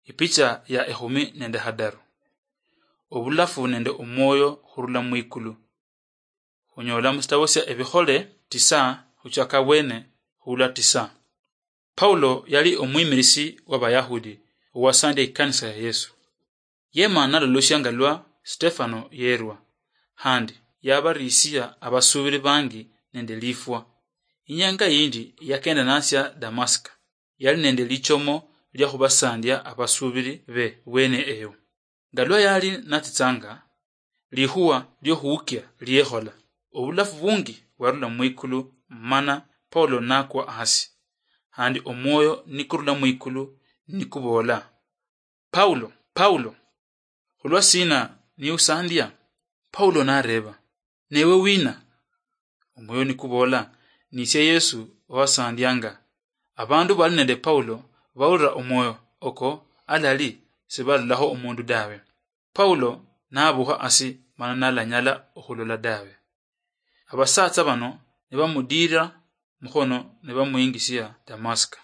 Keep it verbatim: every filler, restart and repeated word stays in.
Ipicha ya ekhumi nende hadaru. Obulafu nende omwoyo khurula mwikulu. Khunyola musitabo sia Ebikhole tisa khuchaka bwene khula tisa. Paulo yali omwimirisi w'Abayahudi owasandia ikanisa ya Yesu. Yema nalolosia nga lwa Stefano yerwa, khandi yabarisia abasuubiri bangi nende lifwa. Inyanga yindi yakenda natsia Damasika, yali nende lichomo lia khubasandia abasuubiri be bwene eyo. Nga lwa yali natsitsanga, likhuwa liokhuukia liekhola, obulafu bungi bwarula mwikulu, mana Paulo nakwa hasi, khandi omwoyo nikurula mwikulu nikuboola, "Paulo, Paulo, khulwa sina niusandia?" Paulo nareeba, "Newe wina?" Omwoyo nikuboola, "Nisie Yesu owasandianga." Abandu bali nende Paulo baulira omwoyo oko alali, sibalolaho omundu dawe. Paulo nabukha asi mana nalanyala okhulola dawe. Abasatsa bano nibamudiira mukhono nibamuyingisia Damasika.